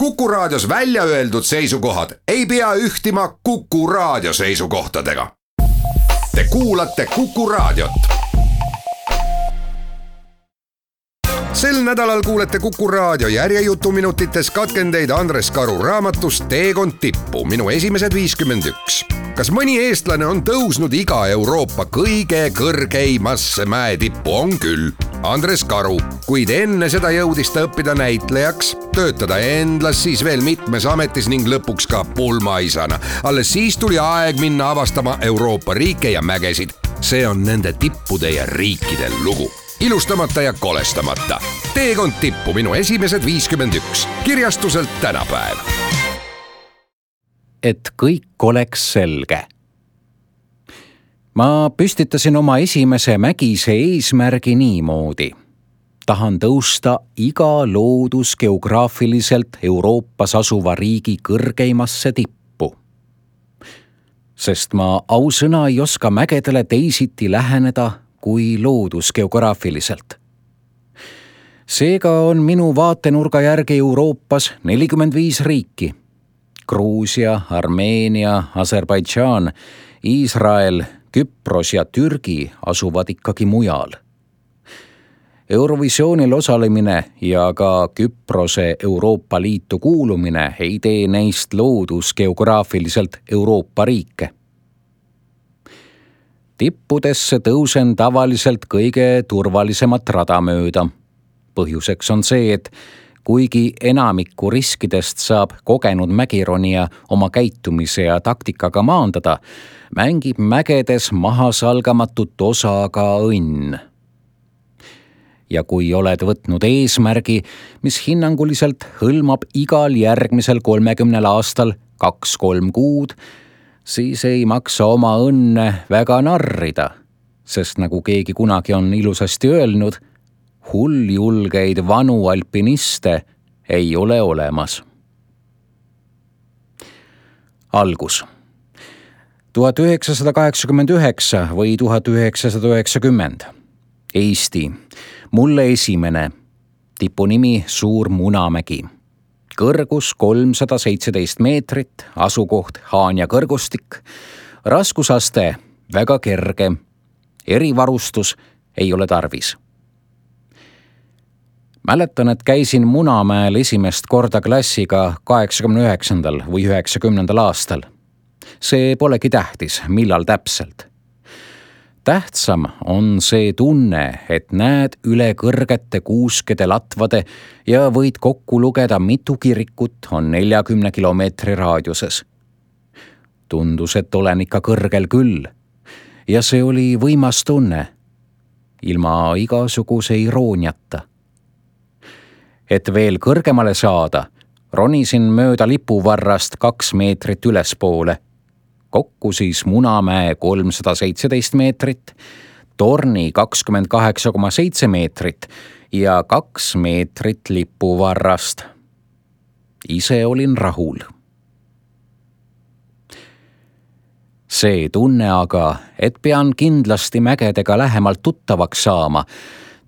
Kuku Raadios välja öeldud seisukohad ei pea ühtima Kuku Raadio seisukohtadega. Te kuulate Kuku Raadiot. Sel nädalal kuulete Kuku Raadio järjejutuminutites katkendeid Andres Karu raamatust Teekond tippu, minu esimesed 51. Kas mõni eestlane on tõusnud iga Euroopa kõige kõrgeimasse mäetippu? On küll. Andres Karu, kuid enne seda jõudis ta õppida näitlejaks, töötada endlas, siis veel mitmes ametis ning lõpuks ka pulmaisana. Alles siis tuli aeg minna avastama Euroopa riike ja mägesid. See on nende tippude ja riikide lugu. Ilustamata ja kolestamata. Teekond tippu, minu esimesed 51. Kirjastuselt Tänapäev. Et kõik oleks selge. Ma püstitasin oma esimese mägise eesmärgi niimoodi. Tahan tõusta iga loodusgeograafiliselt Euroopas asuva riigi kõrgeimasse tippu. Sest ma ausõna ei oska mägedele teisiti läheneda kui loodusgeograafiliselt. Seega on minu vaatenurga järgi Euroopas 45 riiki. Gruusia, Armeenia, Aserbaidžaan, Iisrael, Küpros ja Türgi asuvad ikkagi mujal. Eurovisioonil osalemine ja ka Küprose Euroopa Liitu kuulumine ei tee neist loodusgeograafiliselt Euroopa riike. Tippudesse tõusen tavaliselt kõige turvalisemat rada mööda. Põhjuseks on see, et kuigi enamikku riskidest saab kogenud mägironija oma käitumise ja taktikaga maandada, mängib mägedes mahasalgamatut osa ka õnn. Ja kui oled võtnud eesmärgi, mis hinnanguliselt hõlmab igal järgmisel 30 aastal 2-3 kuud, siis ei maksa oma õnne väga narrida, sest nagu keegi kunagi on ilusasti öelnud, hulljulgeid vanu alpiniste ei ole olemas. Algus. 1989 või 1990. Eesti. Mulle esimene. Tipu nimi Suur Munamägi. Kõrgus 317 meetrit, asukoht Haanja kõrgustik. Raskusaste väga kerge. Erivarustus ei ole tarvis. Mäletan, et käisin Munamäel esimest korda klassiga 89. või 90. aastal. See polegi tähtis, millal täpselt. Tähtsam on see tunne, et näed üle kõrgete kuuskede latvade ja võid kokku lugeda, mitu kirikut on 40 kilomeetri raadiuses. Tundus, et olen ikka kõrgel küll. Ja see oli võimas tunne, ilma igasuguse irooniata. Et veel kõrgemale saada, ronisin mööda lipuvarrast 2 meetrit ülespoole. Kokku siis Munamäe 317 meetrit, torni 28,7 meetrit ja 2 meetrit lipuvarrast. Ise olin rahul. See tunne aga, et pean kindlasti mägedega lähemalt tuttavaks saama,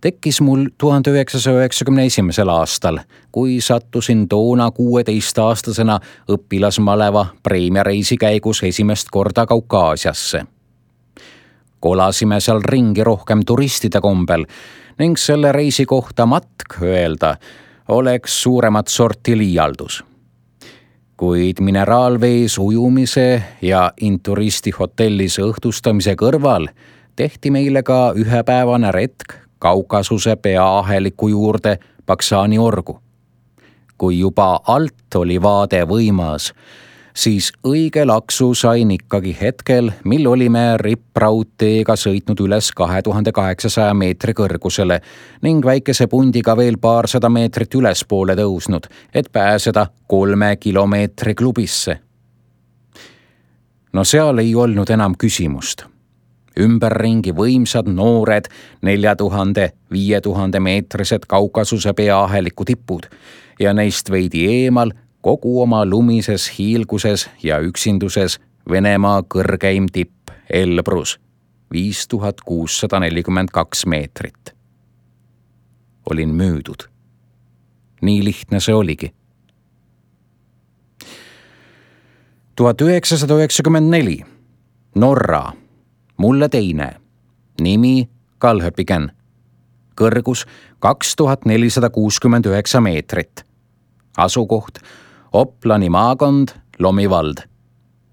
tekkis mul 1991. aastal, kui sattusin toona 16-aastasena õpilasmaleva preemiareisi käigus esimest korda Kaukaasiasse. Kolasime seal ringi rohkem turistide kombel ning selle reisi kohta matk öelda oleks suuremat sorti liialdus. Kuid mineraalvees ujumise ja Inturisti hotellis õhtustamise kõrval tehti meile ka ühepäevane retk Kaukasuse peaaheliku juurde Paksani orgu. Kui juba alt oli vaade võimas, siis õige laksu sain ikkagi hetkel, mil olime rippraudteega sõitnud üles 2800 meetri kõrgusele ning väikese pundiga veel paarsada meetrit ülespoole tõusnud, et pääseda 3 kilomeetri klubisse. No seal ei olnud enam küsimust. Ümberringi võimsad noored 4000-5000 meetrised Kaukasuse peaaheliku tipud ja neist veidi eemal kogu oma lumises hiilguses ja üksinduses Venemaa kõrgeim tipp Elbrus 5642 meetrit. Olin müüdud. Nii lihtne see oligi. 1994. Norra, mulle teine, nimi Kalhöpigen, kõrgus 2469 meetrit, asukoht Oplani maakond, Lomi vald,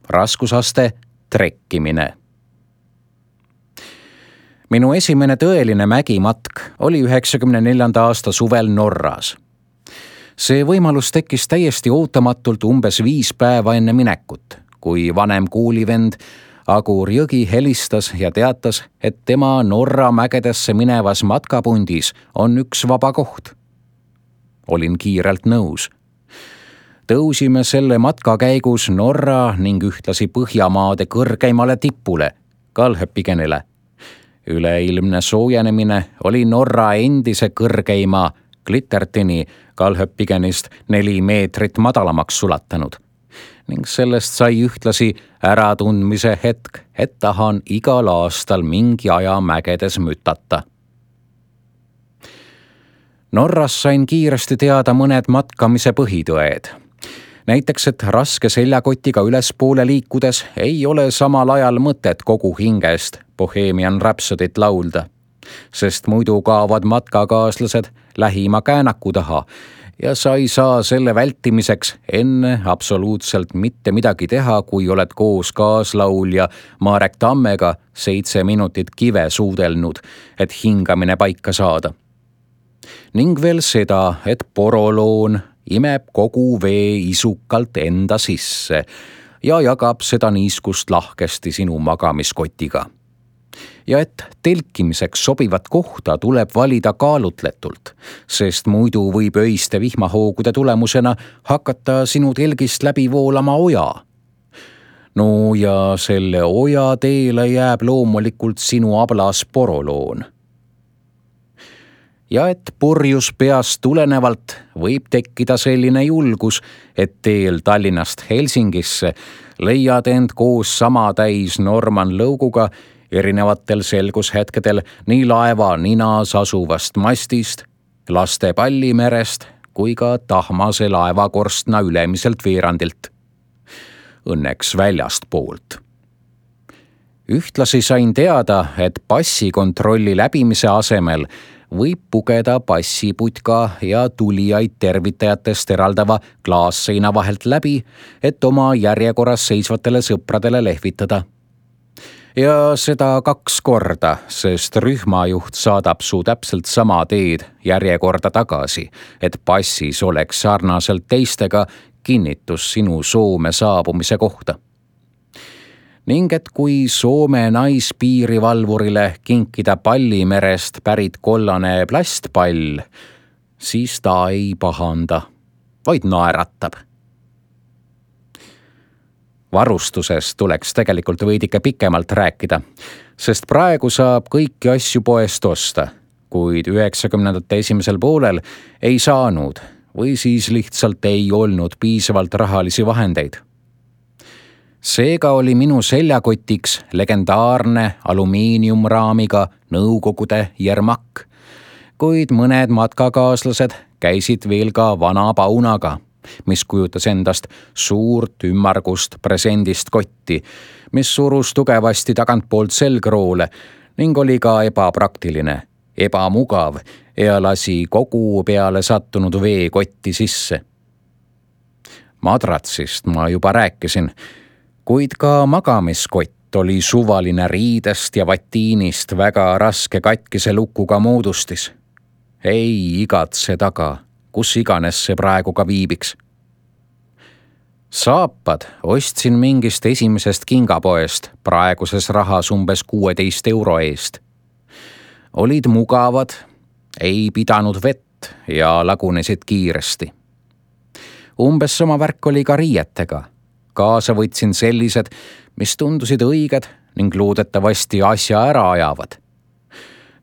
raskusaste trekkimine. Minu esimene tõeline mägimatk oli 94. aasta suvel Norras. See võimalus tekkis täiesti ootamatult umbes 5 päeva enne minekut, kui vanem koolivend Agur Jõgi helistas ja teatas, et tema Norra mägedesse minevas matkapundis on üks vaba koht. Olin kiirelt nõus. Tõusime selle matka käigus Norra ning ühtlasi Põhjamaade kõrgeimale tippule, Kalhöpigenile. Üleilmne soojenemine oli Norra endise kõrgeima Glittertini Kalhöpigenist 4 meetrit madalamaks sulatanud ning sellest sai ühtlasi äratundmise hetk, et tahan igal aastal mingi aja mägedes mütata. Norras sain kiiresti teada mõned matkamise põhitõed. Näiteks, et raske seljakotiga ülespoole liikudes ei ole samal ajal mõtet kogu hingest Bohemian Rhapsodyt laulda, sest muidu kaovad matkakaaslased lähima käänaku taha ja sa ei saa selle vältimiseks enne absoluutselt mitte midagi teha, kui oled koos kaaslaulja Marek Tammega 7 minutit kive suudelnud, et hingamine paika saada. Ning veel seda, et poroloon imeb kogu vee isukalt enda sisse ja jagab seda niiskust lahkesti sinu magamiskotiga. Ja et telkimiseks sobivat kohta tuleb valida kaalutletult, sest muidu võib öiste vihmahoogude tulemusena hakata sinu telgist läbi voolama oja. No ja selle oja teele jääb loomulikult sinu ablas poroloon. Ja et purjus peast tulenevalt võib tekkida selline julgus, et teel Tallinnast Helsingisse leiad end koos sama täis Norman Lõuguga erinevatel selgushetkedel nii laeva ninas asuvast mastist, laste pallimerest kui ka tahmase laevakorstna ülemiselt veerandilt. Õnneks väljast poolt. Ühtlasi sain teada, et passikontrolli läbimise asemel võib pugeda passiputka ja tulijaid tervitajatest eraldava klaasseina vahelt läbi, et oma järjekorras seisvatele sõpradele lehvitada. Ja seda 2 korda, sest rühmajuht saadab su täpselt sama teed järjekorda tagasi, et passis oleks sarnaselt teistega kinnitus sinu Soome saabumise kohta. Ning et kui Soome naispiirivalvurile kinkida Pallimerest pärit kollane plastpall, siis ta ei pahanda, vaid naeratab. Varustusest tuleks tegelikult veidike pikemalt rääkida, sest praegu saab kõiki asju poest osta, kuid 90ndate esimesel poolel ei saanud või siis lihtsalt ei olnud piisavalt rahalisi vahendeid. Seega oli minu seljakotiks legendaarne alumiiniumraamiga Nõukogude Jermak, kuid mõned matkakaaslased käisid veel ka vana paunaga, mis kujutas endast suurt ümmargust presendist kotti, mis surus tugevasti tagantpoolt selgroole ning oli ka ebapraktiline, ebamugav ja lasi kogu peale sattunud veekotti sisse. Madratsist ma juba rääkisin, kuid ka magamiskott oli suvaline riidest ja vatiinist väga raske katkise lukuga moodustis. Ei igatse taga, kus iganes see praegu ka viibiks. Saapad ostsin mingist esimesest kingapoest praeguses rahas umbes 16 € eest. Olid mugavad, ei pidanud vett ja lagunesid kiiresti. Umbes sama värk oli ka riietega. Kaasa võtsin sellised, mis tundusid õiged ning loodetavasti asja ära ajavad.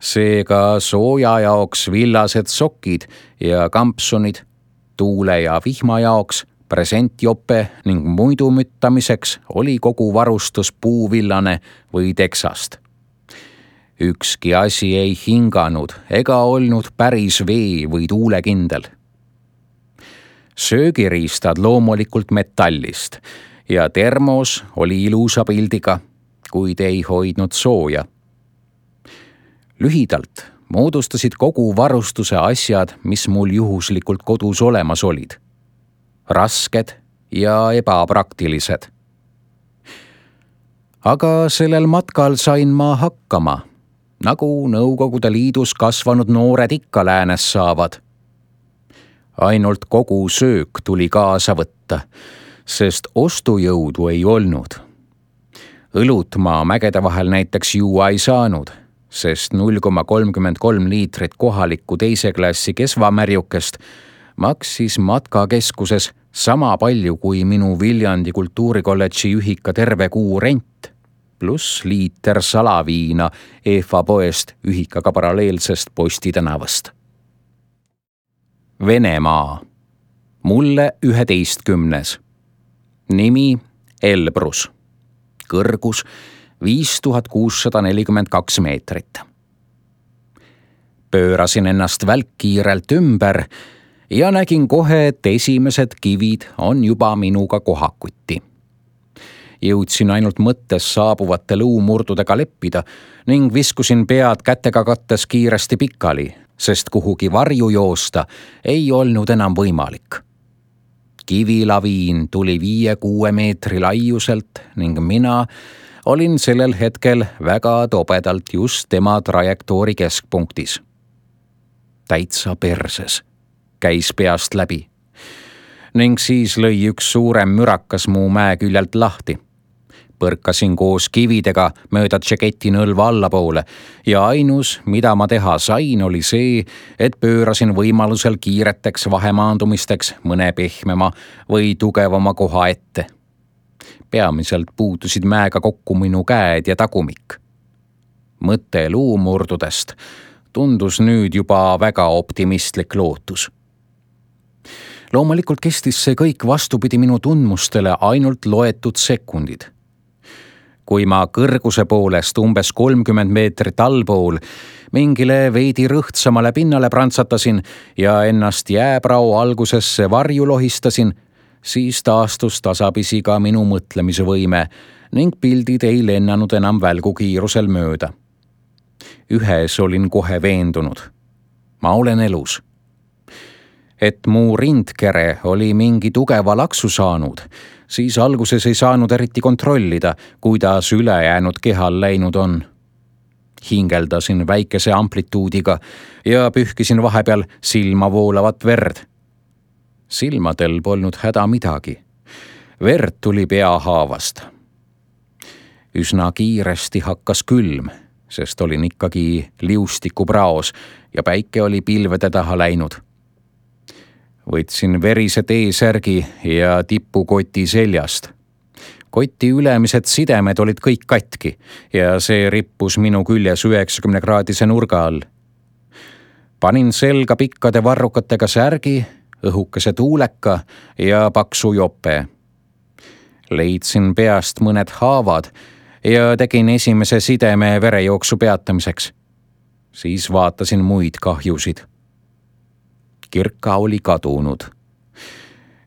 Seega sooja jaoks villased sokid ja kampsunid, tuule ja vihma jaoks presentjope ning muidu müttamiseks oli kogu varustus puuvillane või teksast. Ükski asi ei hinganud ega olnud päris vee- või tuulekindel. Söögiriistad loomulikult metallist ja termos oli ilusa pildiga, kuid ei hoidnud sooja. Lühidalt moodustasid kogu varustuse asjad, mis mul juhuslikult kodus olemas olid. Rasked ja ebapraktilised. Aga sellel matkal sain ma hakkama, nagu Nõukogude Liidus kasvanud noored ikka läänes saavad. Ainult kogu söök tuli kaasa võtta, sest ostujõudu ei olnud. Õlut ma mägede vahel näiteks juua ei saanud, sest 0,33 liitrit kohalikku teise klassi kesvamärjukest maksis matkakeskuses sama palju kui minu Viljandi kultuurikolledži ühika terve kuu rent, pluss liiter salaviina EFA poest ühikaga paralleelsest Posti tänavast. Venemaa. Mulle 11. Nimi Elbrus. Kõrgus 5642 meetrit. Pöörasin ennast välkkiirelt ümber ja nägin kohe, et esimesed kivid on juba minuga kohakuti. Jõudsin ainult mõttes saabuvate luumurdudega leppida ning viskusin pead kätega kattes kiiresti pikali, sest kuhugi varju joosta ei olnud enam võimalik. Kivilaviin tuli 5-6 meetri laiuselt ning mina olin sellel hetkel väga tobedalt just tema trajektoori keskpunktis. Täitsa perses, käis peast läbi. Ning siis lõi üks suurem mürakas mu mäe küljelt lahti. Põrkasin koos kividega mööda tšeketi nõlva allapoole ja ainus, mida ma teha sain, oli see, et pöörasin võimalusel kiireteks vahemaandumisteks mõne pehmema või tugevama koha ette. Peamiselt puutusid mäega kokku minu käed ja tagumik. Mõte luumurdudest tundus nüüd juba väga optimistlik lootus. Loomulikult kestis see kõik vastupidi minu tundmustele ainult loetud sekundid. Kui ma kõrguse poolest umbes 30 meetrit allpool mingile veidi rõhtsamale pinnale prantsatasin ja ennast jääprao algusesse varju lohistasin, siis taastus tasapisi ka minu mõtlemise võime ning pildid ei lennanud enam välgukiirusel mööda. Ühes olin kohe veendunud. Ma olen elus. Et mu rindkere oli mingi tugeva laksu saanud, siis alguses ei saanud eriti kontrollida, kuidas ülejäänud kehal läinud on. Hingeldasin väikese amplituudiga ja pühkisin vahepeal silma voolavat verd. Silmadel polnud häda midagi. Verd tuli peahaavast. Üsna kiiresti hakkas külm, sest olin ikkagi liustikupraos ja päike oli pilvede taha läinud. Võtsin verise T-särgi ja tipukoti seljast. Koti ülemised sidemed olid kõik katki ja see rippus minu küljes 90-kraadise nurga all. Panin selga pikkade varrukatega särgi, õhukese tuuleka ja paksu jope. Leidsin peast mõned haavad ja tegin esimese sideme verejooksu peatamiseks. Siis vaatasin muid kahjusid. Kirka oli kadunud.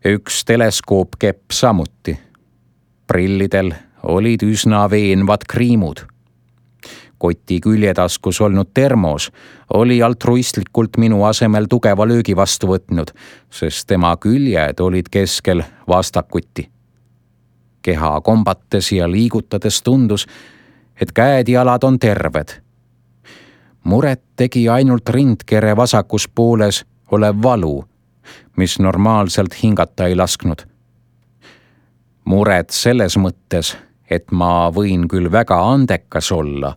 Üks teleskoopkepp samuti. Prillidel olid üsna veenvad kriimud. Koti küljetaskus olnud termos oli altruistlikult minu asemel tugeva löögi vastu võtnud, sest tema küljed olid keskel vastakuti. Keha kombates ja liigutades tundus, et käed ja jalad on terved. Muret tegi ainult rindkere vasakus pooles olev valu, mis normaalselt hingata ei lasknud. Muret selles mõttes, et ma võin küll väga andekas olla,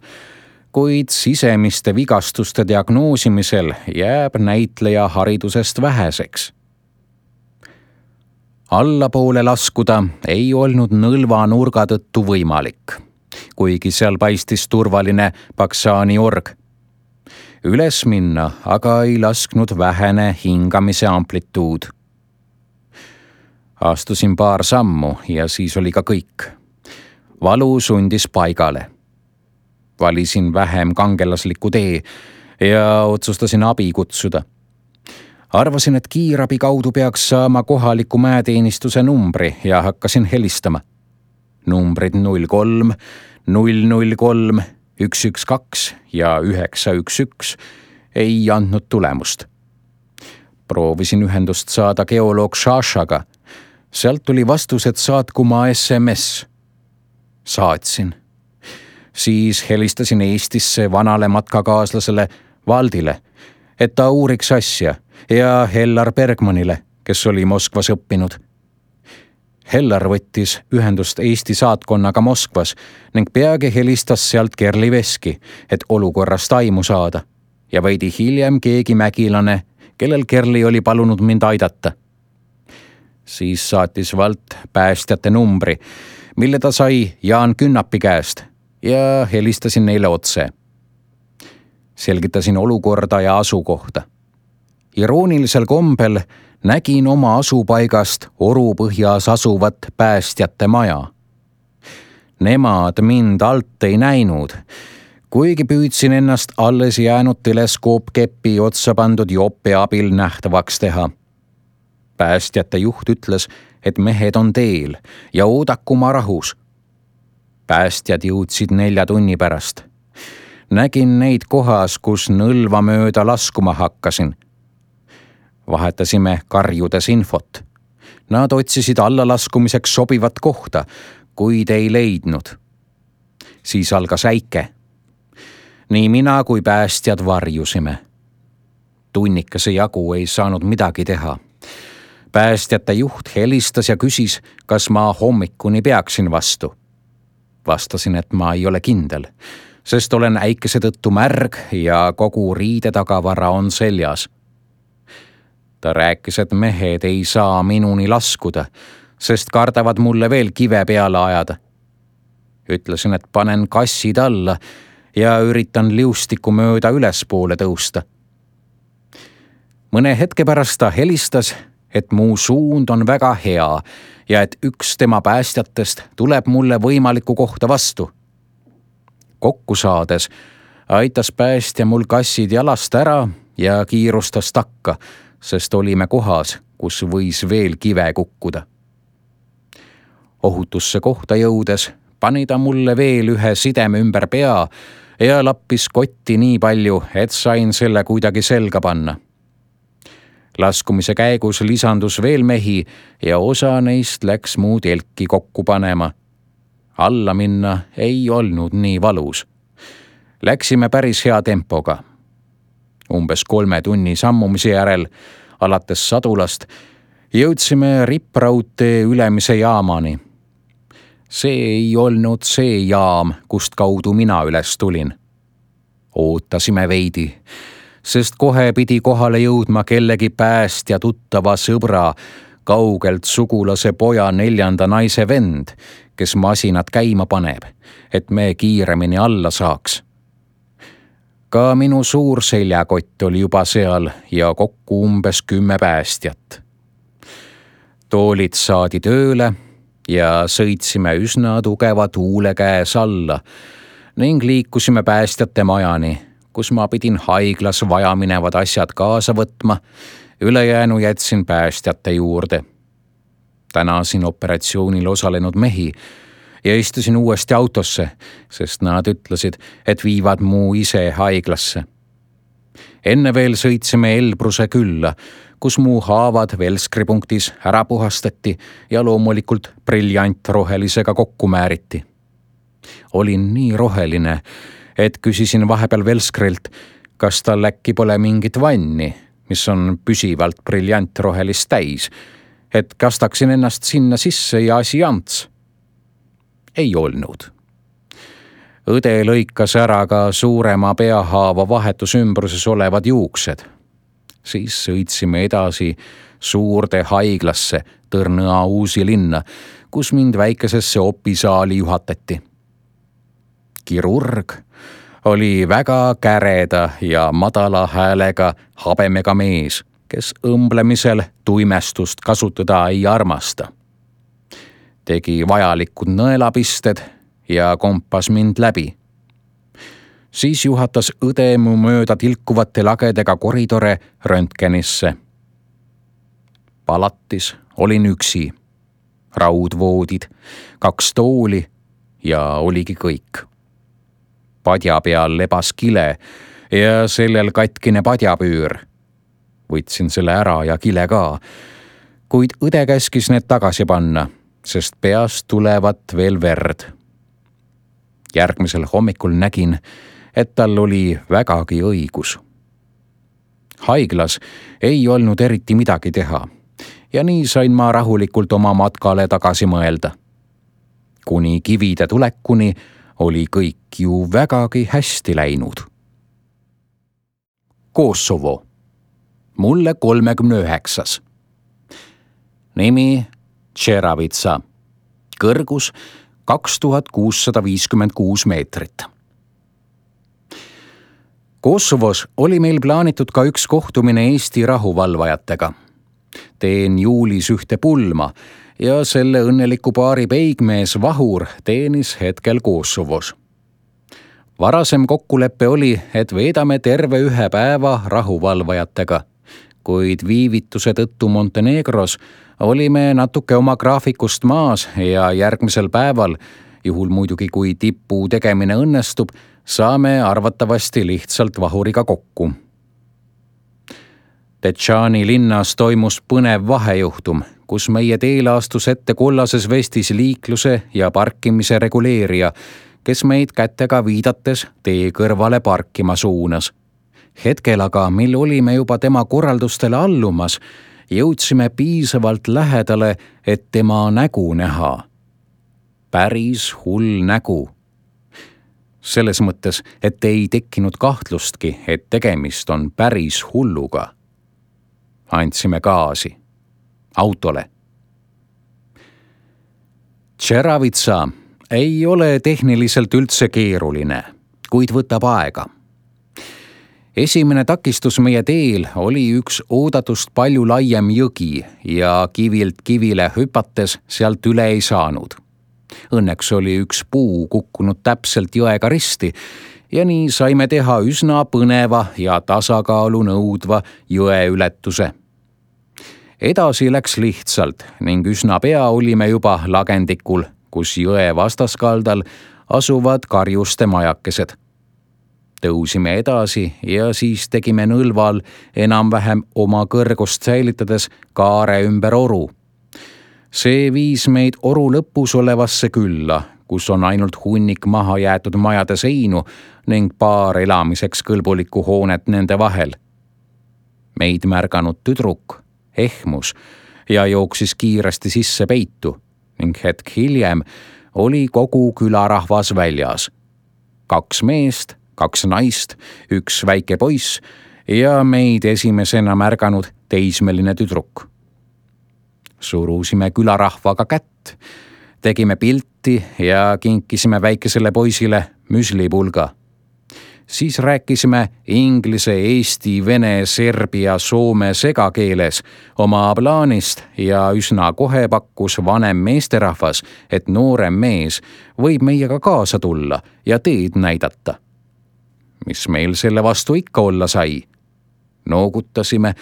kuid sisemiste vigastuste diagnoosimisel jääb näitleja haridusest väheseks. Allapoole laskuda ei olnud nõlva nurga tõttu võimalik, kuigi seal paistis turvaline Paksani org. Üles minna aga ei lasknud vähene hingamise amplituud. Astusin paar sammu ja siis oli ka kõik. Valu sundis paigale. Valisin vähem kangelasliku tee ja otsustasin abi kutsuda. Arvasin, et kiirabi kaudu peaks saama kohaliku mäeteenistuse numbri ja hakkasin helistama. Numbrid 03, 003, 112 ja 911 ei andnud tulemust. Proovisin ühendust saada geoloog Šašaga. Sealt tuli vastus, et saatku ma SMS. Saatsin. Siis helistasin Eestisse vanale matkakaaslasele Valdile, et ta uuriks asja, ja Hellar Bergmanile, kes oli Moskvas õppinud. Hellar võttis ühendust Eesti saatkonnaga Moskvas ning peagi helistas sealt Kerli Veski, et olukorrast aimu saada, ja veidi hiljem keegi mägilane, kellel Kerli oli palunud mind aidata. Siis saatis Valt päästjate numbri, mille ta sai Jaan Künnapi käest, ja helistasin neile otse. Selgitasin olukorda ja asukohta. Iroonilisel kombel nägin oma asupaigast Orupõhjas asuvat päästjate maja. Nemad mind alt ei näinud, kuigi püüdsin ennast alles jäänud teleskoopkepi otsa pandud jope abil nähtavaks teha. Päästjate juht ütles, et mehed on teel ja oodaku ma rahus. Päästjad jõudsid 4 tunni pärast. Nägin neid kohas, kus Nõlva mööda laskuma hakkasin. Vahetasime karjudes infot. Nad otsisid allalaskumiseks sobivat kohta, kuid ei leidnud. Siis algas äike. Nii mina kui päästjad varjusime. Tunnikese jagu ei saanud midagi teha. Päästjate juht helistas ja küsis, kas ma hommikuni peaksin vastu. Vastasin, et ma ei ole kindel, sest olen äikese tõttu märg ja kogu riidetagavara on seljas. Ta rääkis, et mehed ei saa minuni laskuda, sest kardavad mulle veel kive peale ajada. Ütlesin, et panen kassid alla ja üritan liustiku mööda ülespoole tõusta. Mõne hetke pärast ta helistas, et mu suund on väga hea ja et üks tema päästjatest tuleb mulle võimalikku kohta vastu. Kokku saades aitas päästja mul kassid jalast ära ja kiirustas takka, sest olime kohas, kus võis veel kive kukkuda. Ohutusse kohta jõudes pani ta mulle veel ühe sideme ümber pea ja lappis kotti nii palju, et sain selle kuidagi selga panna. Laskumise käigus lisandus veel mehi ja osa neist läks mu telki kokku panema. Alla minna ei olnud nii valus. Läksime päris hea tempoga. Umbes 3 tunni sammumise järel, alates Sadulast, jõudsime Rippraudtee ülemise jaamani. See ei olnud see jaam, kust kaudu mina üles tulin. Ootasime veidi, sest kohe pidi kohale jõudma kellegi päästja tuttava sõbra, kaugelt sugulase poja 4. naise vend, kes masinat käima paneb, et me kiiremini alla saaks. Ka minu suur seljakott oli juba seal ja kokku umbes 10 päästjat. Toolid saadi tööle ja sõitsime üsna tugeva tuule käes alla ning liikusime päästjate majani, kus ma pidin haiglas vajaminevad asjad kaasa võtma, ülejäänu jätsin päästjate juurde. Tänasin operatsioonil osalenud mehi ja istusin uuesti autosse, sest nad ütlesid, et viivad mu ise haiglasse. Enne veel sõitsime Elbruse külla, kus mu haavad Velskri punktis ära puhastati ja loomulikult briljantrohelisega kokku määriti. Olin nii roheline, et küsisin vahepeal Velskrilt, kas tal äkki pole mingit vanni, mis on püsivalt briljantrohelist täis, et kastaksin ennast sinna sisse ja asi ants. Ei olnud. Õde lõikas ära ka suurema peahaava vahetusymbruses olevad juuksed. Siis sõitsime edasi suurde haiglasse Tõrnõa Uusi linna, kus mind väikesesse opisaali juhatati. Kirurg oli väga käreda ja madala häälega habemega mees, kes õmblemisel tuimestust kasutada ei armasta. Tegi vajalikud nõelapisted ja kompas mind läbi. Siis juhatas õde mu mööda tilkuvate lagedega koridore röntgenisse palatis olin üksi. Raudvoodid, 2 tooli ja oligi kõik. Padja peal lebas kile ja sellel katkine padjapüür. Võtsin selle ära ja kile ka, kuid õde käskis need tagasi panna, sest peast tulevat veel verd. Järgmisel hommikul nägin, et tal oli vägagi õigus. Haiglas ei olnud eriti midagi teha ja nii sain ma rahulikult oma matkale tagasi mõelda. Kuni kivide tulekuni oli kõik ju vägagi hästi läinud. Kosovo. Mulle 39. Nimi Čeravitsa. Kõrgus 2656 meetrit. Kosovos oli meil plaanitud ka üks kohtumine Eesti rahuvalvajatega. Teen juulis ühte pulma ja selle õnneliku paari peigmees Vahur teenis hetkel Kosovos. Varasem kokkulepe oli, et veedame terve 1 päeva rahuvalvajatega, kuid viivituse tõttu Montenegros olime natuke oma graafikust maas ja järgmisel päeval, juhul muidugi kui tipu tegemine õnnestub, saame arvatavasti lihtsalt Vahuriga kokku. Detšani linnas toimus põnev vahejuhtum, kus meie teele astus ette kollases vestis liikluse ja parkimise reguleerija, kes meid kätega viidates tee kõrvale parkima suunas. Hetkel aga, mil olime juba tema korraldustele allumas, jõudsime piisavalt lähedale, et tema nägu näha. Päris hull nägu. Selles mõttes, et ei tekkinud kahtlustki, et tegemist on päris hulluga. Andsime gaasi. Autole. Čeravitsa ei ole tehniliselt üldse keeruline, kuid võtab aega. Esimene takistus meie teel oli üks oodatust palju laiem jõgi ja kivilt kivile hüpates sealt üle ei saanud. Õnneks oli üks puu kukkunud täpselt jõega risti ja nii saime teha üsna põneva ja tasakaalu nõudva jõeületuse. Edasi läks lihtsalt ning üsna pea olime juba lagendikul, kus jõe vastaskaldal asuvad karjuste majakesed. Tõusime edasi ja siis tegime nõlval enam-vähem oma kõrgust säilitades kaare ümber oru. See viis meid oru lõpus olevasse külla, kus on ainult hunnik maha jäetud majade seinu ning paar elamiseks kõlbulikku hoonet nende vahel. Meid märganud tüdruk ehmus ja jooksis kiiresti sisse peitu ning hetk hiljem oli kogu külarahvas väljas. 2 meest, 2 naist, 1 väike poiss ja meid esimesena märganud teismeline tüdruk. Surusime külarahvaga kätt, tegime pilti ja kinkisime väikesele poisile müslipulga. Siis rääkisime inglise, eesti, vene, serbia, soome segakeeles oma plaanist ja üsna kohe pakkus vanem meesterahvas, et noorem mees võib meiega kaasa tulla ja teed näidata. Mis meil selle vastu ikka olla sai? Noogutasime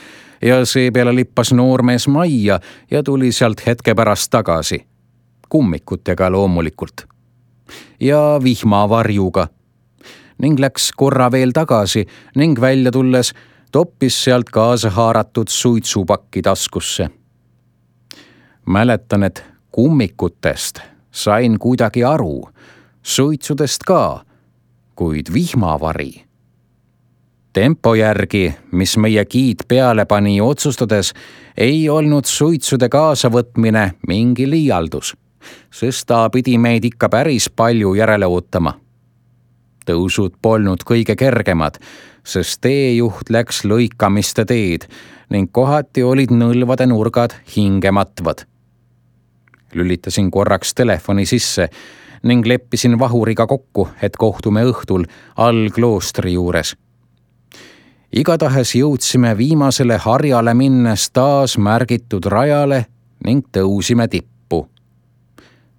ja seepeale lippas noormees majja ja tuli sealt hetke pärast tagasi. Kummikutega loomulikult. Ja vihmavarjuga. Ning läks korra veel tagasi ning välja tulles toppis sealt kaasa haaratud suitsupakki taskusse. Mäletan, et kummikutest sain kuidagi aru, suitsudest ka, kuid vihmavari. Tempo järgi, mis meie giid peale pani otsustades, ei olnud suitsude kaasavõtmine mingi liialdus, sest ta pidi meid ikka päris palju järele ootama. Tõusud polnud kõige kergemad, sest teejuht läks lõikamiste teed ning kohati olid nõlvade nurgad hingematvad. Lülitasin korraks telefoni sisse ning leppisin Vahuriga kokku, et kohtume õhtul all kloostri juures. Igatahes jõudsime viimasele harjale minnes taas märgitud rajale ning tõusime tippu.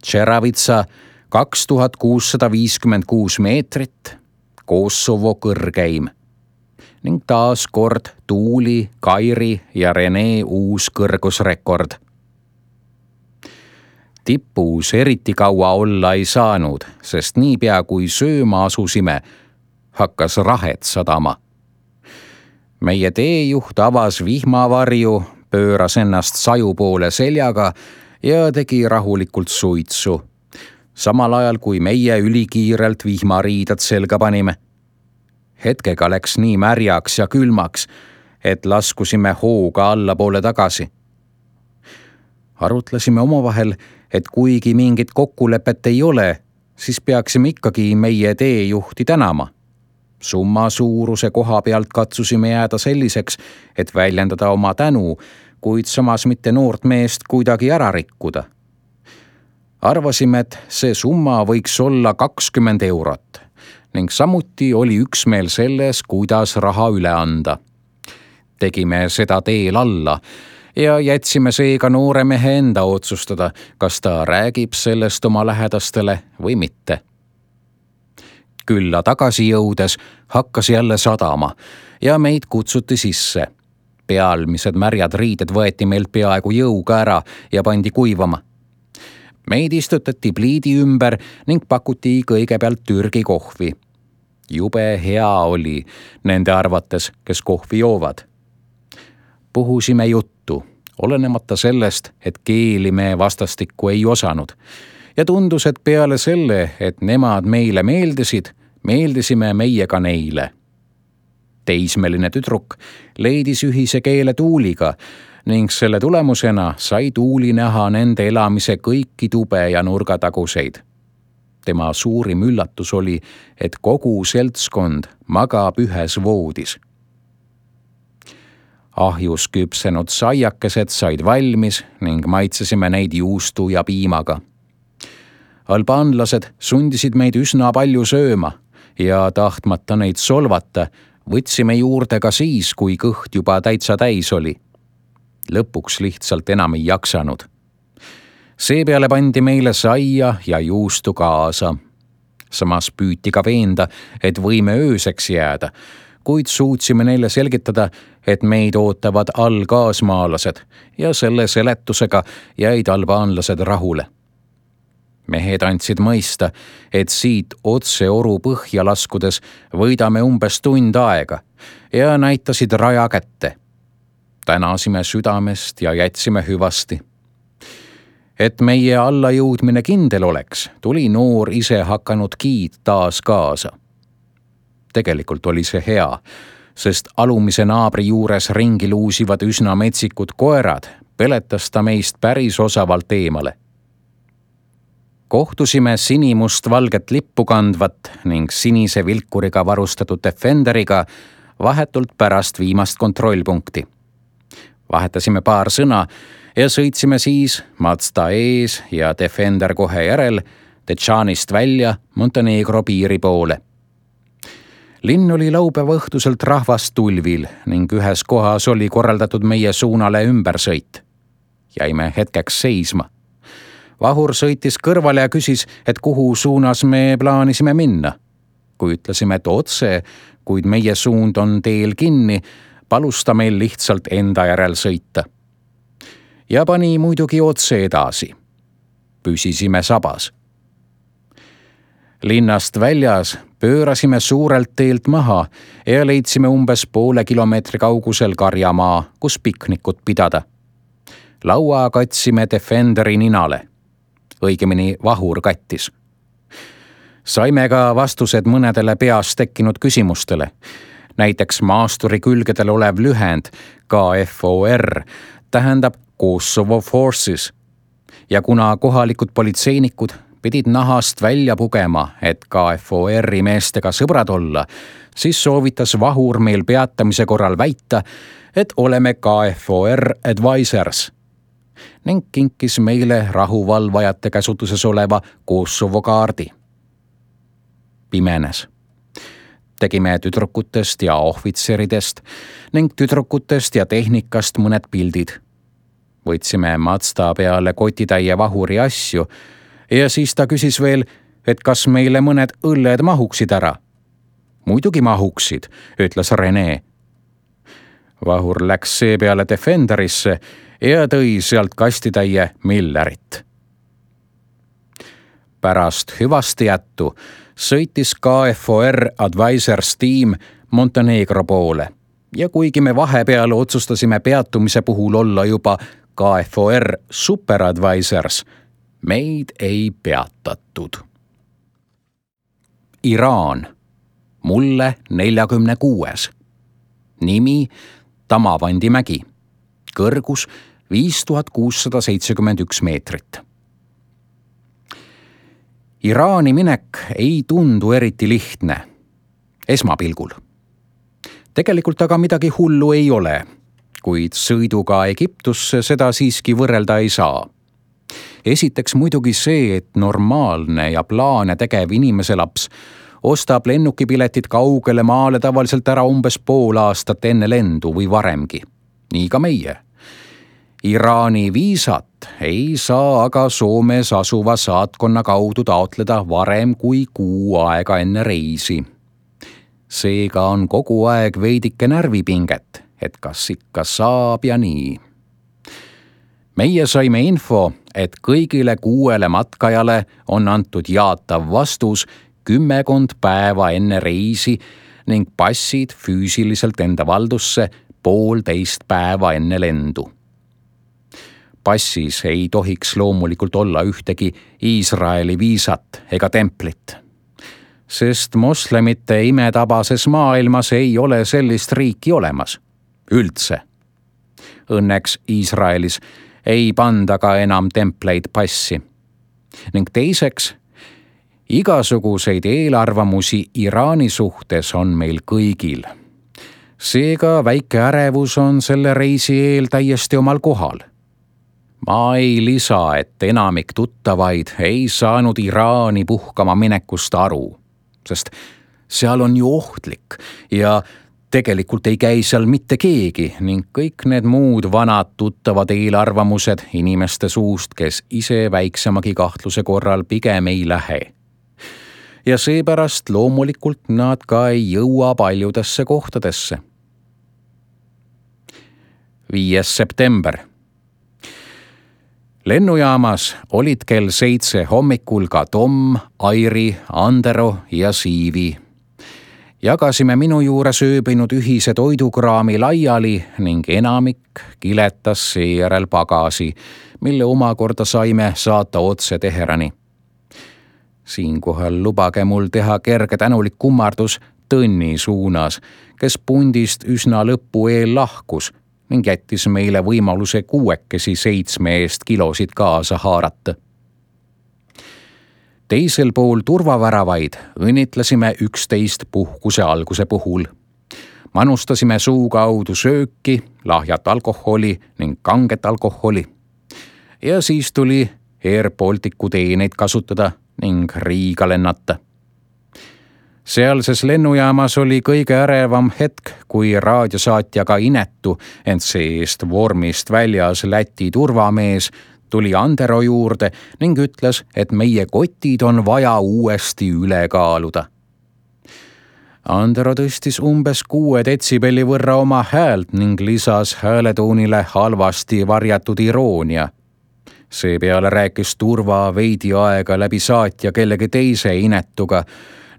Čeravitsa 2656 meetrit, Kosovo kõrgeim. ning taas kord Tuuli, Kairi ja Rene uus kõrgusrekord. Tipus eriti kaua olla ei saanud, sest niipea kui sööma asusime, hakkas rahet sadama. Meie teejuht avas vihmavarju, pööras ennast saju poole seljaga ja tegi rahulikult suitsu, samal ajal kui meie ülikiirelt vihmariidad selga panime. Hetkega läks nii märjaks ja külmaks, et laskusime hooga allapoole tagasi. Arutlesime omavahel, et kuigi mingit kokkulepet ei ole, siis peaksime ikkagi meie teejuhti tänama. Summa suuruse koha pealt katsusime jääda selliseks, et väljendada oma tänu, kuid samas mitte noort meest kuidagi ära rikkuda. Arvasime, et see summa võiks olla 20 eurot ning samuti oli üksmeel selles, kuidas raha üle anda. Tegime seda teel alla ja jätsime seega noore mehe enda otsustada, kas ta räägib sellest oma lähedastele või mitte. Külla tagasi jõudes hakkas jälle sadama ja meid kutsuti sisse. Pealmised märjad riided võeti meilt peaaegu jõuga ära ja pandi kuivama. Meid istutati pliidi ümber ning pakuti kõigepealt Türgi kohvi. Jube hea oli nende arvates, kes kohvi joovad. Puhusime juttu, olenemata sellest, et keeli me vastastikku ei osanud. Ja tundus, et peale selle, et nemad meile meeldisid, meeldisime meie ka neile. Teismeline tüdruk leidis ühise keele Tuuliga ning selle tulemusena sai Tuuli näha nende elamise kõiki tube ja nurgataguseid. Tema suurim üllatus oli, et kogu seltskond magab ühes voodis. Ahjus küpsenud saiakesed said valmis ning maitsesime neid juustu ja piimaga. Albaanlased sundisid meid üsna palju sööma ja tahtmata neid solvata, võtsime juurde ka siis, kui kõht juba täitsa täis oli. Lõpuks lihtsalt enam ei jaksanud. Seepeale pandi meile saia ja juustu kaasa. Samas püüti ka veenda, et võime ööseks jääda, kuid suutsime neile selgitada, et meid ootavad allkaasmaalased ja selle seletusega jäid albaanlased rahule. Mehed andsid mõista, et siit otse oru põhja laskudes võidame umbes tund aega ja näitasid raja kätte. Tänasime südamest ja jätsime hüvasti. Et meie allajõudmine kindel oleks, tuli noor ise hakanud giid taas kaasa. Tegelikult oli see hea, sest alumise naabri juures ringi luusivad üsna metsikud koerad, peletas ta meist päris osavalt eemale. Kohtusime sinimust-valget lippu kandvat ning sinise vilkuriga varustatud Defenderiga vahetult pärast viimast kontrollpunkti. Vahetasime paar sõna ja sõitsime siis Mazda ees ja Defender kohe järel Dechanist välja Montenegro piiri poole. Linn oli laupäeva õhtuselt rahvast tulvil ning ühes kohas oli korraldatud meie suunale ümbersõit. Jäime hetkeks seisma. Vahur sõitis kõrvale ja küsis, et kuhu suunas me plaanisime minna. Kui ütlesime, et otse, kuid meie suund on teel kinni, palus ta meil lihtsalt enda järel sõita. Ja pani muidugi otse edasi. Püsisime sabas. Linnast väljas pöörasime suurelt teelt maha ja leidsime umbes poole kilomeetri kaugusel karjamaa, kus piknikut pidada. Laua katsime Defenderi ninale. Õigemini Vahur kattis. Saime ka vastused mõnedele peas tekkinud küsimustele. Näiteks maasturi külgedel olev lühend KFOR tähendab Kosovo Forces. Ja kuna kohalikud politseinikud pidid nahast välja pugema, et KFOR-i meestega sõbrad olla, siis soovitas Vahur meil peatamise korral väita, et oleme KFOR advisors ning kinkis meile rahuvalvajate käsutuses oleva Kosovo kaardi. Pimenes. Tegime tüdrukutest ja ohvitseridest ning tüdrukutest ja tehnikast mõned pildid. Võtsime Mazda peale kotitäie Vahuri asju ja siis ta küsis veel, et kas meile mõned õlled mahuksid ära. Muidugi mahuksid, ütles Rene Vahur läks seepeale Defenderisse ja tõi sealt kastitäie Millerit. Pärast hüvasti jättu sõitis KFOR Advisors tiim Montenegro poole ja kuigi me vahepeal otsustasime peatumise puhul olla juba KFOR Super Advisors, meid ei peatatud. Iraan, mulle 46. Nimi Tamavandi mägi, kõrgus 5671 meetrit. Iraani minek ei tundu eriti lihtne, esmapilgul. Tegelikult aga midagi hullu ei ole, kuid sõiduga Egiptusse seda siiski võrrelda ei saa. Esiteks muidugi see, et normaalne ja plaane tegev inimeselaps ostab lennukipiletid kaugele maale tavaliselt ära umbes pool aastat enne lendu või varemgi. Nii ka meie. Iraani viisat ei saa aga Soomes asuva saatkonna kaudu taotleda varem kui kuu aega enne reisi. Seega on kogu aeg veidike närvipinget, et kas ikka saab ja nii. Meie saime info, et kõigile 6 matkajale on antud jaatav vastus 10 päeva enne reisi ning passid füüsiliselt enda valdusse 1,5 päeva enne lendu. Passis ei tohiks loomulikult olla ühtegi Iisraeli viisat ega templit, sest moslemite imetabases maailmas ei ole sellist riiki olemas. Üldse. Õnneks Iisraelis ei panda ka enam templeid passi. Ning teiseks, igasuguseid eelarvamusi Iraani suhtes on meil kõigil. Seega väike ärevus on selle reisi eel täiesti omal kohal. Ma ei lisa, et enamik tuttavaid ei saanud Iraani puhkama minekust aru, sest seal on ju ohtlik ja tegelikult ei käi seal mitte keegi ning kõik need muud vanad tuttavad eelarvamused inimeste suust, kes ise väiksemagi kahtluse korral pigem ei lähe. Ja seepärast loomulikult nad ka ei jõua paljudesse kohtadesse. 5. september. Lennujaamas olid kell 7 hommikul ka Tom, Airi, Andero ja Siivi. Jagasime minu juures ööbinud ühise toidukraami laiali ning enamik kiletas seejärel pagasi, mille omakorda saime saata otse Teherani. Siinkohal lubage mul teha kerge tänulik kummardus Tõnni suunas, kes pundist üsna lõppu eel lahkus ning jättis meile võimaluse 7 eest kilosid kaasa haarata. Teisel pool turvaväravaid õnnitlesime 11 puhkuse alguse puhul. Manustasime suu kaudu sööki, lahjat alkoholi ning kanget alkoholi. Ja siis tuli Air Balticu teeneid kasutada ning Riiga lennata. Sealses lennujaamas oli kõige ärevam hetk, kui raadiosaatjaga inetu, ent see-eest vormist väljas Läti turvamees tuli Andero juurde ning ütles, et meie kotid on vaja uuesti üle kaaluda. Andero tõstis umbes 6 detsibelli võrra oma häält ning lisas hääletoonile halvasti varjatud iroonia. Seepeale rääkis turva veidi aega läbi saatja kellegi teise inetuga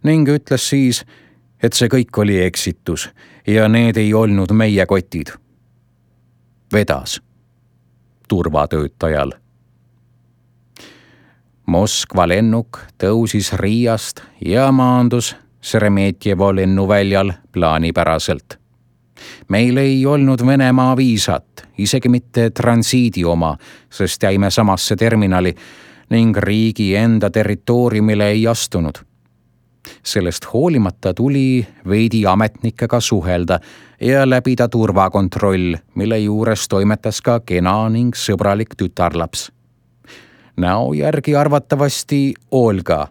ning ütles siis, et see kõik oli eksitus ja need ei olnud meie kotid. Vedas turvatöötajal. Moskva lennuk tõusis Riiast ja maandus Šeremetjevo lennuväljal plaanipäraselt. Meil ei olnud Venemaa viisat, isegi mitte transiidi oma, sest jäime samasse terminali ning riigi enda territooriumile ei astunud. Sellest hoolimata tuli veidi ametnikega suhelda ja läbida turvakontroll, mille juures toimetas ka kena ning sõbralik tütarlaps. Näo järgi arvatavasti Olga.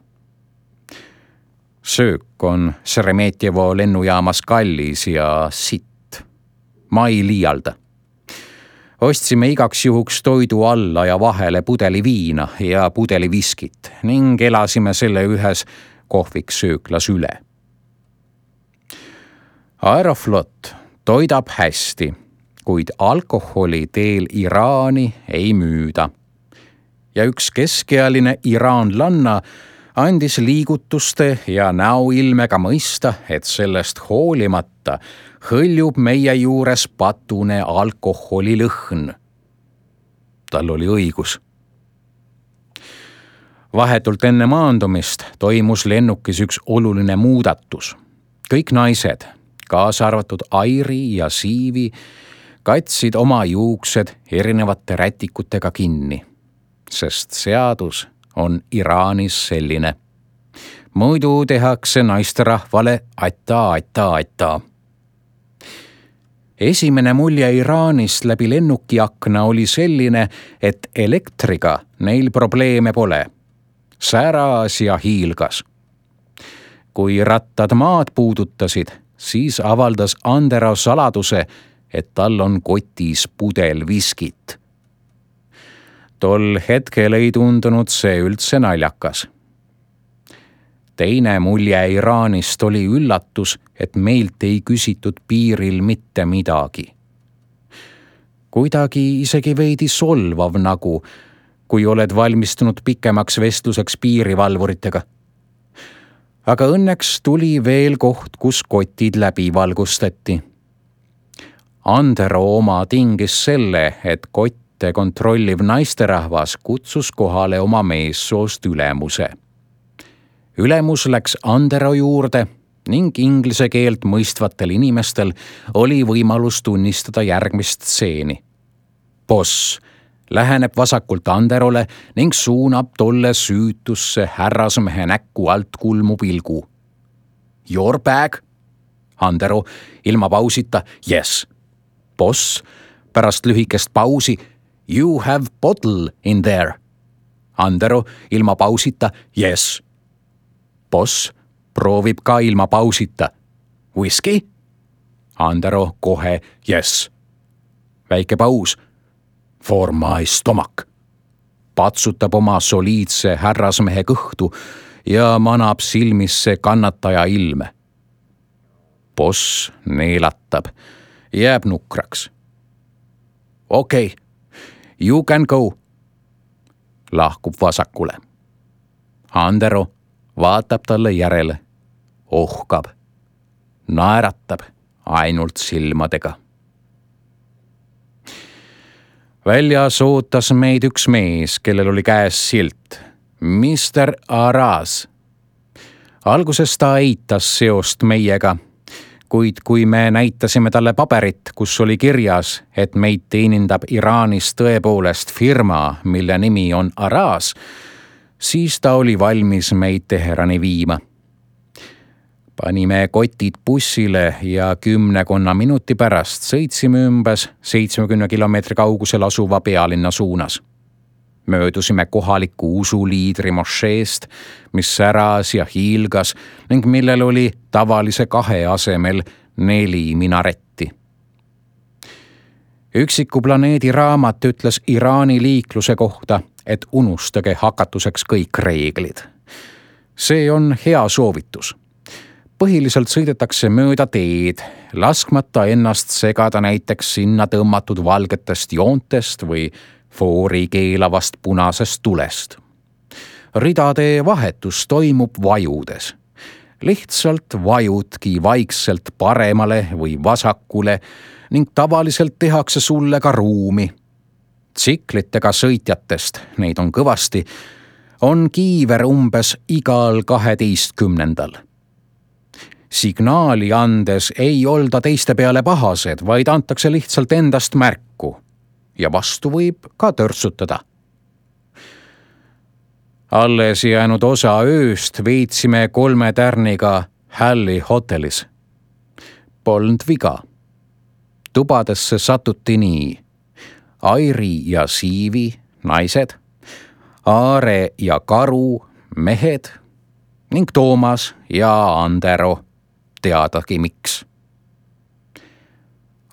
Söök on Šeremetjevo lennujaamas kallis ja sitt. Ma ei liialda. Ostsime igaks juhuks toidu alla ja vahele pudeli viina ja pudeli viskit ning elasime selle ühes kohviks sööklas üle. Aeroflot toidab hästi, kuid alkoholi teel Iraani ei müüda. Ja üks keskealine iraanlanna andis liigutuste ja näoilmega mõista, et sellest hoolimata hõljub meie juures patune alkoholilõhn. Tal oli õigus. Vahetult enne maandumist toimus lennukis üks oluline muudatus. Kõik naised, kaasa arvatud Airi ja Siivi, katsid oma juuksed erinevate rätikutega kinni, sest seadus on Iraanis selline. Muidu tehakse naisterahvale aita. Esimene mulje Iraanist läbi lennukiakna oli selline, et elektriga neil probleeme pole. Säras ja hiilgas. Kui rattad maad puudutasid, siis avaldas Andero saladuse, et tal on kotis pudel viskit. Tol hetkel ei tundunud see üldse naljakas. Teine mulje Iraanist oli üllatus, et meilt ei küsitud piiril mitte midagi. Kuidagi isegi veidi solvav nagu, kui oled valmistunud pikemaks vestluseks piirivalvuritega. Aga õnneks tuli veel koht, kus kotid läbi valgustati. Andero oma tingis selle, et kotte kontrolliv naisterahvas kutsus kohale oma meessoost ülemuse. Ülemus läks Andero juurde ning inglise keelt mõistvatel inimestel oli võimalus tunnistada järgmist stseeni. Boss läheneb vasakult Anderole ning suunab tolle süütusse härrasmehe näkku alt kulmu pilgu. Your bag? Andero ilma pausita, yes. Boss pärast lühikest pausi, you have bottle in there. Andero ilma pausita, yes. Boss proovib ka ilma pausita. Whisky? Andero kohe, yes. Väike paus. For my stomach. Patsutab oma soliidse härrasmehe kõhtu ja manab silmisse kannataja ilme. Boss neelatab, jääb nukraks. Okay, you can go. Lahkub vasakule. Andero vaatab talle järele, ohkab, naeratab ainult silmadega. Väljas ootas meid üks mees, kellel oli käes silt. Mr. Aras. Alguses ta eitas seost meiega, kuid kui me näitasime talle paberit, kus oli kirjas, et meid teenindab Iraanis tõepoolest firma, mille nimi on Aras, siis ta oli valmis meid Teherani viima. Panime kotid bussile ja 10 minuti pärast sõitsime umbes 70 kilomeetri kaugusel asuva pealinna suunas. Möödusime kohaliku usuliidri mošeest, mis säras ja hiilgas ning millel oli tavalise 2 asemel 4 minaretti. Üksiku planeedi raamat ütles Iraani liikluse kohta, et unustage hakatuseks kõik reeglid. See on hea soovitus. Põhiliselt sõidetakse mööda teed, laskmata ennast segada näiteks sinna tõmmatud valgetest joontest või foori keelavast punasest tulest. Ridade vahetus toimub vajudes. Lihtsalt vajudki vaikselt paremale või vasakule ning tavaliselt tehakse sulle ka ruumi. Tsiklitega sõitjatest, neid on kõvasti, on kiiver umbes igal 12. Signaali andes ei olda teiste peale pahased, vaid antakse lihtsalt endast märku ja vastu võib ka törtsutada. Alles jäänud osa ööst veetsime 3 tärniga Halli hotellis. Polnud viga. Tubadesse satuti nii. Airi ja Siivi, naised, Aare ja Karu, mehed ning Toomas ja Andero, teadagi miks.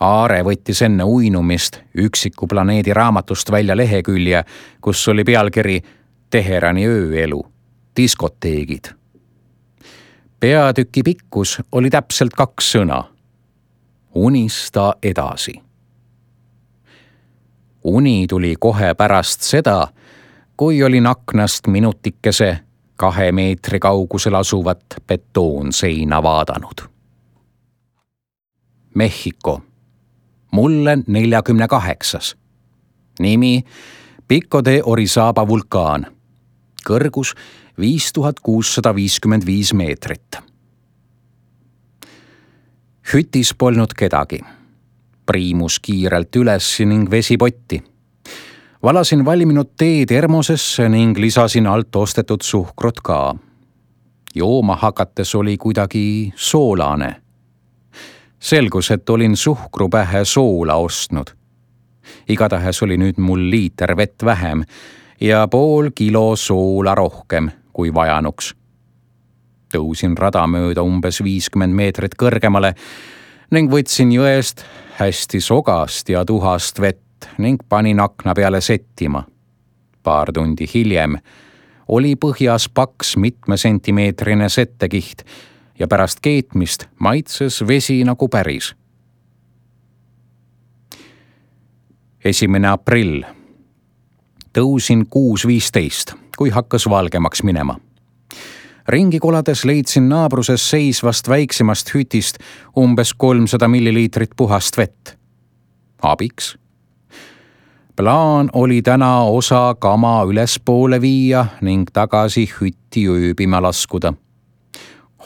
Aare võttis enne uinumist üksiku planeedi raamatust välja lehekülje, kus oli pealkiri Teherani ööelu, diskoteegid. Peatüki pikkus oli täpselt 2 sõna. unista edasi. Uni tuli kohe pärast seda, kui olin aknast minutikese 2 meetri kaugusel asuvat betoonseina vaadanud. Mehhiko. Mulle 48. Nimi Pico de Orizaba vulkaan. Kõrgus 5655 meetrit. Hütis polnud kedagi. Priimus kiirelt üles ning vesipotti. Valasin valminud tee termosesse ning lisasin alt ostetud suhkrut ka. Jooma hakates oli kuidagi soolane. Selgus, et olin suhkru pähe soola ostnud. Igatahes oli nüüd mul liiter vett vähem ja pool kilo soola rohkem kui vajanuks. Tõusin rada mööda umbes 50 meetrit kõrgemale ning võtsin jõest hästi sogast ja tuhast vett ning panin akna peale settima. Paar tundi hiljem oli põhjas paks mitmesentimeetrine settekiht ja pärast keetmist maitses vesi nagu päris. 1. aprill. Tõusin 6.15, kui hakkas valgemaks minema. Ringi kolades leidsin naabruses seisvast väiksemast hütist umbes 300 milliliitrit puhast vett. Abiks. Plaan oli täna osa kama ülespoole viia ning tagasi hütti ööbima laskuda.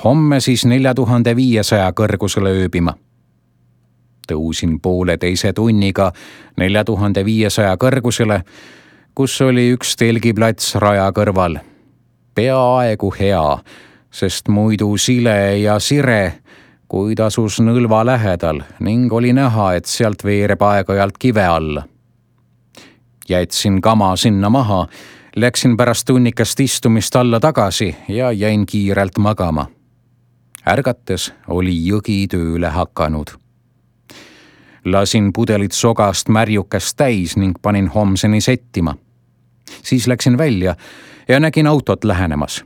Homme siis 4500 kõrgusele ööbima. Tõusin 1,5 tunniga 4500 kõrgusele, kus oli üks telgiplats raja kõrval. Peaaegu hea, sest muidu sile ja sire, kuid asus nõlva lähedal ning oli näha, et sealt veereb aeg-ajalt kive alla. Jätsin kama sinna maha, läksin pärast tunnikest istumist alla tagasi ja jäin kiirelt magama. Ärgates oli jõgi tööle hakanud. Lasin pudelit sogast märjukest täis ning panin homseni settima. Siis läksin välja ja nägin autot lähenemas.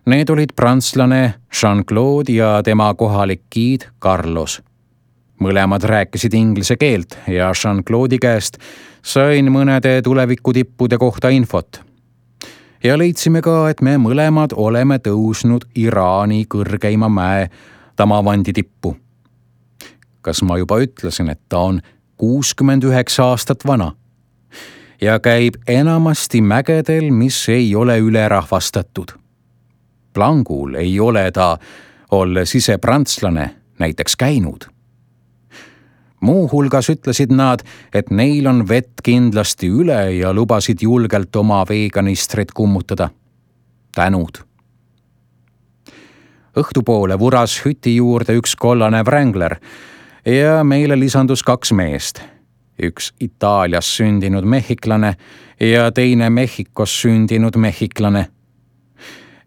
Need olid prantslane Jean-Claude ja tema kohalik giid Carlos. Mõlemad rääkisid inglise keelt ja Jean-Claude'i käest sain mõnede tulevikutippude kohta infot. Ja leidsime ka, et me mõlemad oleme tõusnud Iraani kõrgeima mäe Tamavandi tippu. Kas ma juba ütlesin, et ta on 69 aastat vana ja käib enamasti mägedel, mis ei ole ülerahvastatud. Plangul ei ole ta, olles ise prantslane, näiteks käinud. Muu hulgas ütlesid nad, et neil on vett kindlasti üle ja lubasid julgelt oma veekanistrit kummutada. Tänud. Õhtupoole vuras hüti juurde üks kollane Wrangler ja meile lisandus 2 meest. Üks Itaalias sündinud mehhiklane ja teine Mehhikos sündinud mehhiklane.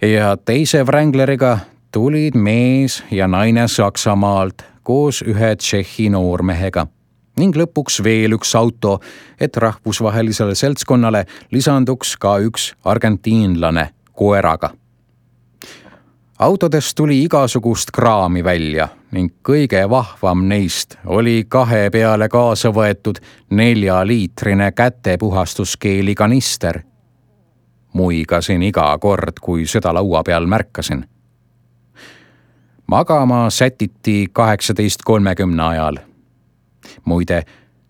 Ja teise Wrangleriga tulid mees ja naine Saksamaalt koos ühe Tšehhi noormehega ning lõpuks veel üks auto, et rahvusvahelisele seltskonnale lisanduks ka üks argentiinlane koeraga. Autodest tuli igasugust kraami välja ning kõige vahvam neist oli 2 peale kaasa võetud 4-liitrine kätepuhastuskeeli kanister. Muigasin iga kord, kui seda laua peal märkasin. Magama sätiti 18.30 ajal. Muide,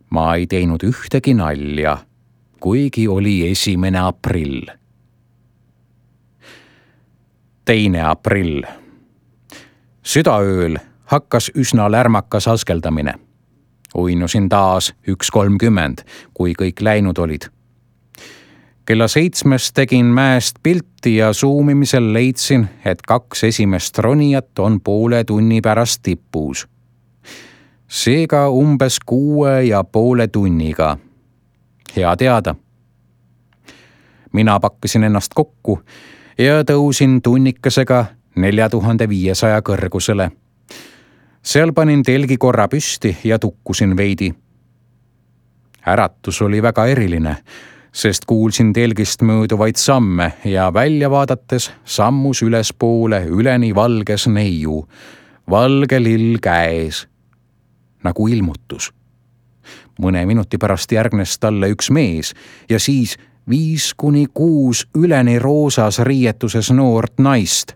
ma ei teinud ühtegi nalja, kuigi oli 1. aprill. 2. aprill. Südaööl hakkas üsna lärmakas askeldamine. Uinusin taas 1.30, kui kõik läinud olid. Kella 7 tegin mäest pilti ja suumimisel leidsin, et 2 esimest ronijat on poole tunni pärast tipus. Seega umbes 6,5 tunniga. Hea teada. Mina pakkisin ennast kokku ja tõusin tunnikesega 4500 kõrgusele. Seal panin telgi korra püsti ja tukkusin veidi. Äratus oli väga eriline, sest kuulsin telgist mööduvaid samme ja välja vaadates sammus ülespoole üleni valges neiu, valge lill käes. nagu ilmutus. Mõne minuti pärast järgnes talle üks mees ja siis 5-6 üleni roosas riietuses noort naist.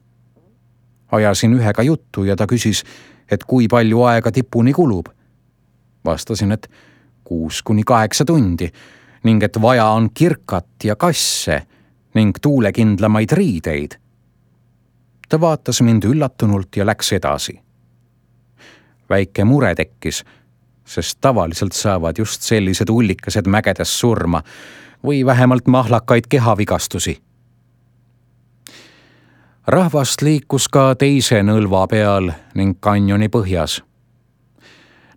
Ajasin ühega juttu ja ta küsis, et kui palju aega tipuni kulub. Vastasin, et 6-8 tundi ning et vaja on kirkat ja kasse ning tuulekindlamaid riideid. Ta vaatas mind üllatunult ja läks edasi. Väike mure tekkis, sest tavaliselt saavad just sellised ullikesed mägedes surma või vähemalt mahlakaid kehavigastusi. Rahvast liikus ka teise nõlva peal ning kanjoni põhjas.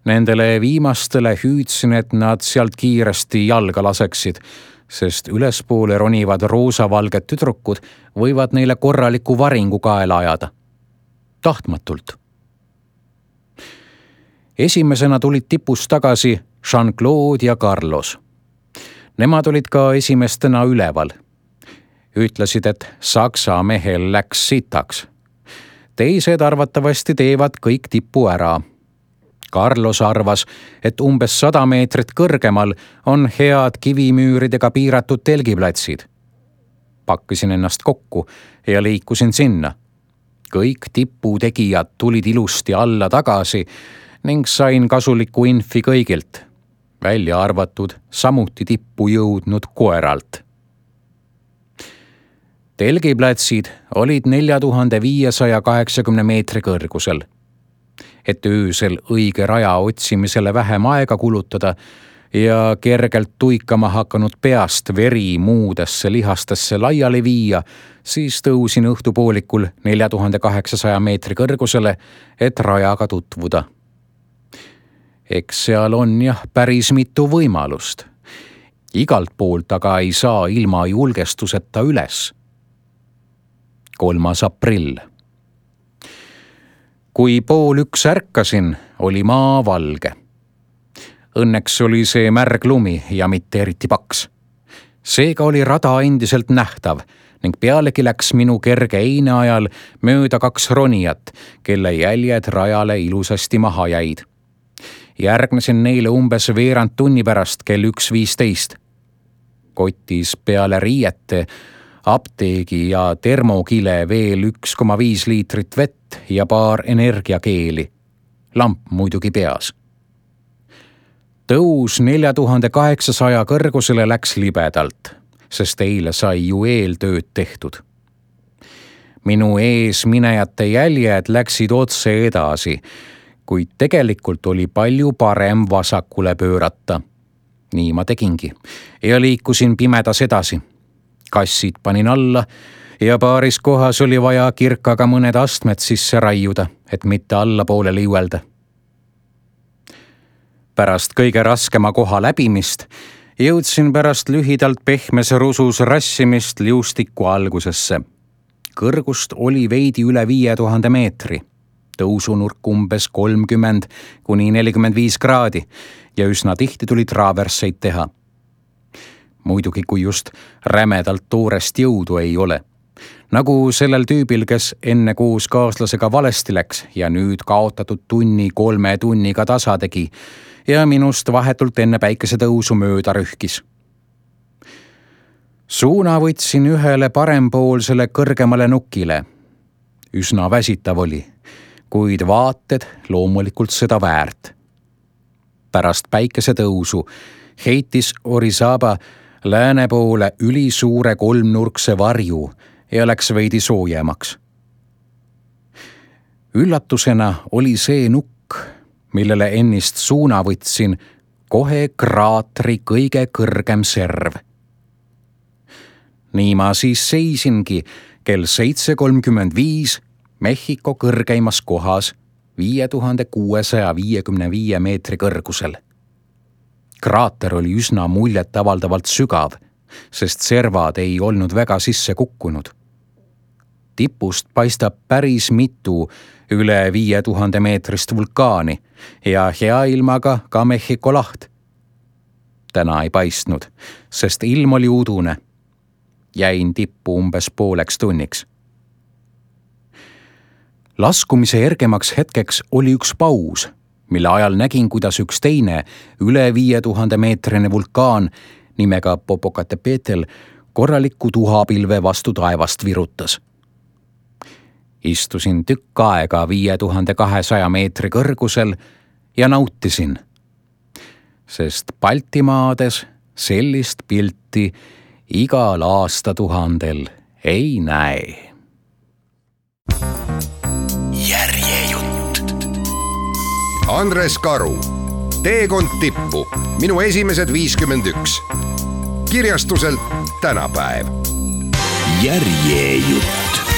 Nendele viimastele hüüdsin, et nad sealt kiiresti jalga laseksid, sest ülespoole ronivad roosavalged tüdrukud võivad neile korraliku varingu kaela ajada. Tahtmatult. Esimesena tulid tipust tagasi Jean-Claude ja Carlos. Nemad olid ka esimestena üleval. Ütlesid, et Saksa mehel läks sitaks. Teised arvatavasti teevad kõik tippu ära. Carlos arvas, et umbes 100 meetrit kõrgemal on head kivimüüridega piiratud telgiplatsid. Pakkisin ennast kokku ja liikusin sinna. Kõik tiputegijad tulid ilusti alla tagasi ning sain kasulikku infi kõigilt, välja arvatud samuti tippu jõudnud koeralt. Telgiplatsid olid 4580 meetri kõrgusel. Et öösel õige raja otsimisele vähem aega kulutada ja kergelt tuikama hakanud peast veri muudesse lihastesse laiali viia, siis tõusin õhtupoolikul 4800 meetri kõrgusele, et rajaga tutvuda. Eks seal on jah päris mitu võimalust. Igalt poolt aga ei saa ilma julgestuseta üles. 3. aprill. Kui 12:30 ärkasin, oli maa valge. Õnneks oli see märg lumi ja mitte eriti paks. Seega oli rada endiselt nähtav ning pealegi läks minu kerge eine ajal mööda 2 ronijat, kelle jäljed rajale ilusasti maha jäid. Järgnesin neile umbes veerand tunni pärast kell 1:15. Kotis peale riiete, apteegi ja termokile veel 1,5 liitrit vett ja paar energiakeeli. Lamp muidugi peas. Tõus 4800 kõrgusele läks libedalt, sest eile sai ju eeltööd tehtud. Minu ees minejate jäljed läksid otse edasi, kuid tegelikult oli palju parem vasakule pöörata. Nii ma tegingi ja liikusin pimedas edasi. Kassid panin alla ja paaris kohas oli vaja kirkaga mõned astmed sisse raiuda, et mitte allapoole liuelda. Pärast kõige raskema koha läbimist jõudsin pärast lühidalt pehmes rusus rassimist liustiku algusesse. Kõrgust oli veidi üle 5000 meetri, tõusunurk umbes 30–45 kraadi ja üsna tihti tuli traaversseid teha. Muidugi, kui just rämedalt toorest jõudu ei ole. Nagu sellel tüübil, kes enne koos kaaslasega valesti läks ja nüüd kaotatud 2–3 tunniga tasa tegi ja minust vahetult enne päikesetõusu mööda rühkis. Suuna võtsin ühele parempoolsele kõrgemale nukile. Üsna väsitav oli, kuid vaated loomulikult seda väärt. Pärast päikesetõusu heitis Orizaba lääne poole ülisuure 3-nurkse varju ja läks veidi soojemaks. Üllatusena oli see nukk, millele ennist suuna võtsin, kohe kraatri kõige kõrgem serv. Nii ma siis seisingi kell 7:35 Mehhiko kõrgeimas kohas 5655 meetri kõrgusel. Kraater oli üsna muljet avaldavalt sügav, sest servad ei olnud väga sisse kukkunud. Tipust paistab päris mitu üle 5000 meetrist vulkaani ja hea ilmaga ka Mehhiko laht. Täna ei paistnud, sest ilm oli udune. Jäin tippu umbes pooleks tunniks. Laskumise ergemaks hetkeks oli üks paus, mille ajal nägin, kuidas üks teine üle 5000 meetrine vulkaan nimega Popocatépetl korralikku tuhapilve vastu taevast virutas. Istusin tükk aega 5200 meetri kõrgusel ja nautisin, sest Baltimaades sellist pilti igal aastatuhandel ei näe. Järjejutt. Andres Karu, Teekond tippu, minu esimesed 51. Kirjastuselt Tänapäev. Järjejutt.